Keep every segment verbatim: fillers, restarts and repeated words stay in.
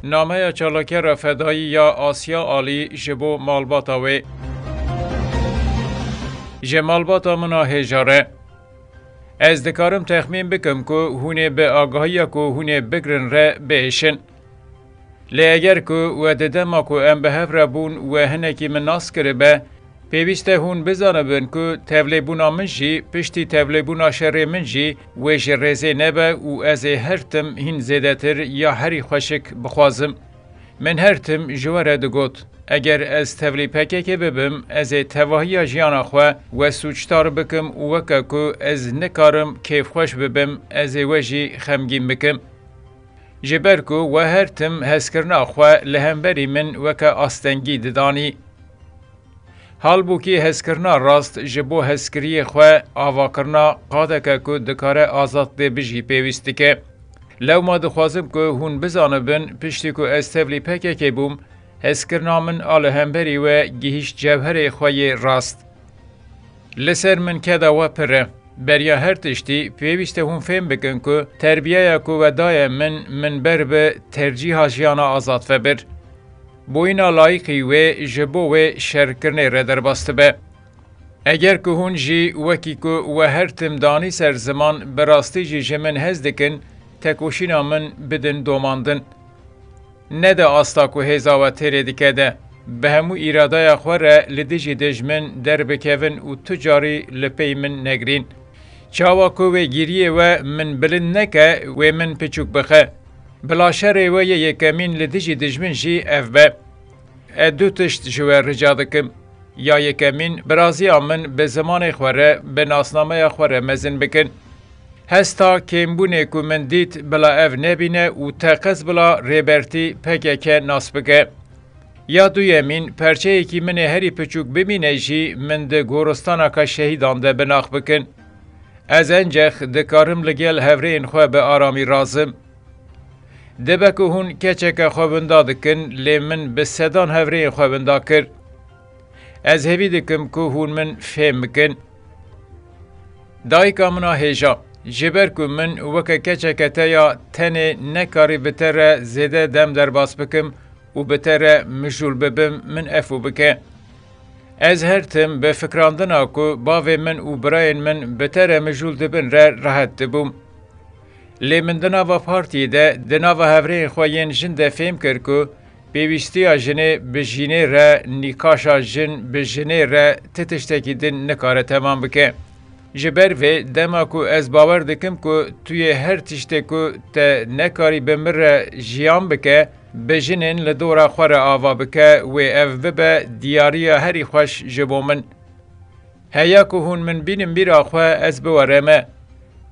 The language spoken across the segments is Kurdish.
Nameya çalakera fedayî ya Asya Alî ji bo malbata wê. Ji malbata min a hêja re. Ez dikarim texmîn bikim ku hûn ê bi agahiya ku hûn ê bigrin re biêşin. Lê eger ku we di dema ku em bi hev re bûn we hinekî min nas kiribe, pêwîst e hûn bizanibin ku tevlêbûna min jî, piştî tevlêbûna şerê min jî wê ji rêzê nebe û ez ê her tim hîn zêdetir ya herî xweşik bixwazim. Min her tim ji we re digot, eger ez tevlî P K K bibim, ez ê tevahiya jiyana xwe we sûcdar bikim û weke ku ez nikarim kêfxweş bibim, ez ê we jî xemgîn bikim. Ji ber ku we her tim hezkirina xwe li hemberî min weke astengî didanî. Halbûkî hezkirina rast ji bo hezkiriyê xwe avakirina qadeke ku dikare azad dê bijî pêwîst dike. Lewma dixwazim ku hûn bizanibin, piştî ku ez tevlî P K K bûm, hezkirina min a li hemberî we gihîşt cewherê xwe yê rast. Li ser min keda we pir e. Beriya her tiştî, pêwîst e hûn fêm bikin ku terbiyeya ku we daye min, min ber bi tercîha jiyana azad vebir. Boyîna layîqî wê ji bo wê şerkirinê re derbas dibe. Eger ku hûn jî wekî ku we her tim danî ser ziman, bi rastî jî ji min hez dikin, tekoşîna min bidin domandin. Nede asta ku hêza we têrê dike de, bi hemû îradaya xwe re li dijî dijmin derbikevin û tu carî li pey min negrîn. Çawa ku wê gîriyê we min bilind neke, wê min piçûk bixe. Bila şerê we yê yekemîn li dijî dijmin jî ev be. Ez du tişt ji we rica dikim. Ya yekemîn, biraziya min bi zimanê xwe re, bi nasnameya xwe re mezin bikin. Hesta kêmbûnê ku min dît, bila ev nebîne û teqez bila Rêbertî P K K nas bike. Ya duyemîn, perçeyekî min ê herî piçûk bimîne jî, min di goristanaka şehîdan de binax bikin. Ez encex dikarim li gel hevrêyên xwe bi aramî razim. Dibe ku hûn keçeke xwe winda dikin, lê min bi sedan hevrêyên xwe winda kir. Ez hêvî dikim ku hûn min fêm bikin. Dayika min a hêja, ji ber ku min weke keçeke te ya tenê nekarî bi te re zêde dem derbas bikim û bi te re mijûl bibim, min efû bike. Ez her tim bi fikrandina ku bavê min û birayên min bi te re mijûl dibin re rehet dibûm. Lê min di nava partiyê de, di nava hevrêyên xwe yên jin de fêm kir ku pêwîstiya jinê bi jînê re, nîqaşa jin bi jinê re ti tiştekî din nikare temam bike. Ji ber vê, dema ku ez bawer dikim ku tu yê her tiştê ku te nekarî bi min re jiyan bike, bi jinên li dora xwe re ava bike, wê ev bibe diyariya herî xweş ji bo min. Heya ku hûn min bînin bîra xwe, ez biwereme.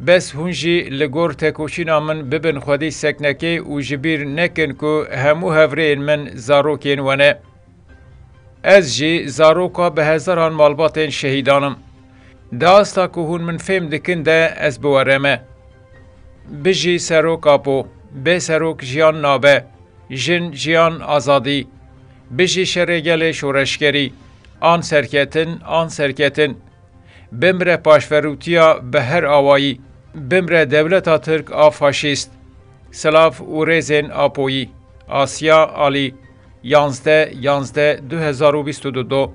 Bes hûn jî li gor tekoşîna min bibin xwedî seknekê û ji bîr nekin ku hemû hevrêyên min zarokên we ne. Ez jî zaroka bi hezaran malbatên şehîdan im. Di asta ku hûn min fêm dikin de ez biwereme. Bijî Serok Apo, bê Serok jiyan nabe. Jin, jiyan, azadî. Bijî şerê gelê şoreşgerî. An serketin, an serketin. Bimre paşverûtiya bi her awayî. Bimre dewleta Tirk a faşîst. Silav û rêzên Apoyî. Asya Alî, yanzdeh yanzdeh du hezar û bîst û du.